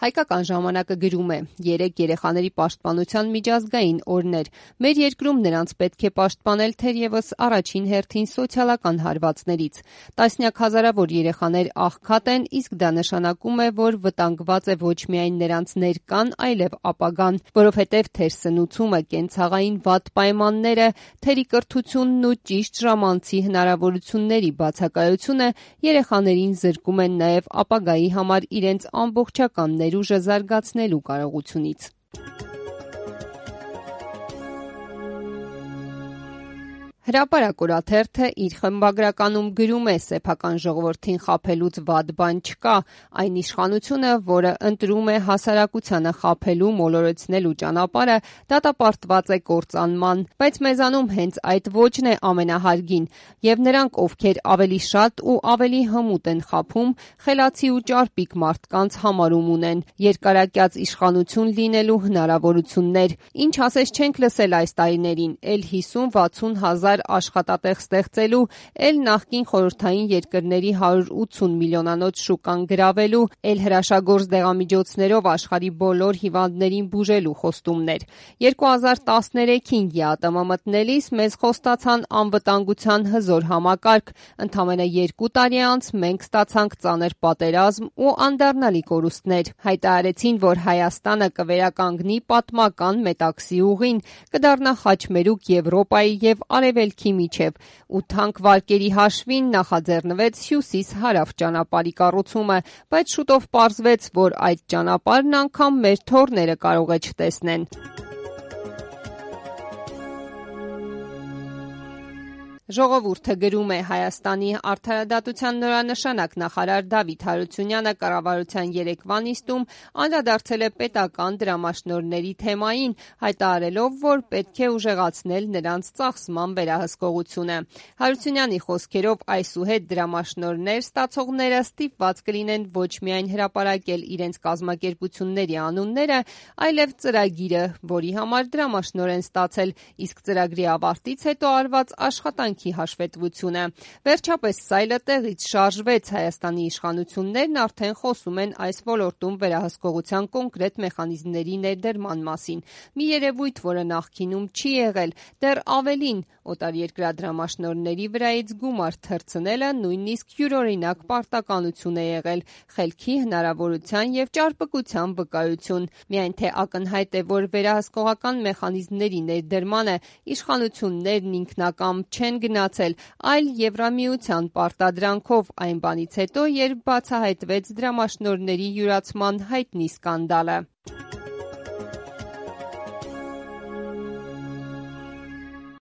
Հայկական ժամանակը գրում է. «Երեկ երեխաների պաշտպանության միջազգային օրն էր։ Մեր երկրում նրանց պետք է պաշտպանել թերևս առաջին հերթին սոցիալական հարվածներից։ Տասնյակ հազարավոր երեխաներ աղքատ են, իսկ դա նշանակում է, որ վտանգված է ոչ միայն նրանց ներկան, այլև ապագան, որովհետև թերսնուցումը, կենցաղային վատ պայմանները, թերի կրթությունն ու ճիշտ ժամանցի հնարավորությունների բացակայությունը երեխաներին զրկում են նաև ապագայի համար իրենց ամբողջական ներուժը զարգացնելու կարողությունից»։ Հրապարակ օրաթերթը իր խմբագրականում գրում է. «Սեփական ժողովրդին խաբելուց վատ բան չկա։ Այն իշխանությունը, որը ընտրում է հասարակությանը խաբելու, մոլորեցնելու ճանապարհը, դատապարտված է կործանման։ Բայց մեզանում հենց այդ ոճն է ամենահարգին, եւ նրանք, ովքեր ավելի շատ ու ավելի հմուտ են խաբում, խելացի ու ճարպիկ մարդկանց համարում ունեն, երկարակյաց իշխանություն լինելու հնարավորություններ։ Ինչ ասես չենք լսել այս տարիներին, էլ 50-60 հազար աշխատատեղ ստեղծելու, էլ նախկին խորհրդային երկրների 180 միլիոնանոց շուկան գրավելու, էլ հրաշագործ դեղամիջոցներով աշխարհի բոլոր հիվանդներին բուժելու խոստումներ։ 2013-ին ԵԱՏՄ մտնելիս մեզ խոստացան անվտանգության հզոր համակարգ, ընդամենը 2 տարի անց մենք ստացանք ծանր պատերազմ ու անդառնալի կորուստներ։ Հայտարարեցին, որ Հայաստանը կվերականգնի պատմական Մետաքսի ուղին, կդառնա խաչմերուկ Եվրոպայի եւ Արևելքի միջև, ու թանկ վարկերի հաշվին նախաձեռնվեց հյուսիս-հարավ ճանապարհի կառուցումը, բայց շուտով պարզվեց, որ այդ ճանապարհն անգամ մեր թոռները կարող է չտեսնեն»։ Ժողովուրդը գրում է. «Հայաստանի արդարադատության նորանշանակ նախարար Դավիթ Հարությունյանը կառավարության երեկվա նիստում անդրադարձել է պետական դրամաշնորհների թեմային, հայտարարելով, որ պետք է ուժեղացնել նրանց ծախսման վերահսկողությունը։ Հարությունյանի խոսքերով, այսուհետ դրամաշնորհներ ստացողները ստիպված կլինեն ոչ միայն հրապարակել իրենց կազմակերպությունների անունները, այլև ծրագիրը, որի համար դրամաշնորհ են ստացել, իսկ ծրագրի ավարտից հետո արված աշխատանքի հաշվետվությունը։ Վերջապես սայլը տեղից շարժվեց, Հայաստանի իշխանություններն արդեն խոսում են այս ոլորտում վերահսկողության կոնկրետ մեխանիզմների ներդրման մասին։ Մի երևույթ, որը նախկինում չի եղել, դեռ ավելին, օտարերկրյա դրամաշնորհների վրայից գումար թռցնելը նույնիսկ յուրօրինակ պարտականություն է եղել, խելքի, հնարավորության եւ ճարպկության վկայություն։ Միայն թե ակնհայտ է, որ վերահսկողական մեխանիզմների ներդրմանը իշխանություններն ինքնակամ չեն գնացել, այլ Եվրամիության պարտադրանքով այն բանից հետո, երբ բացահայտվեց դրամաշնորհների յուրացման հայտնի սկանդալը»։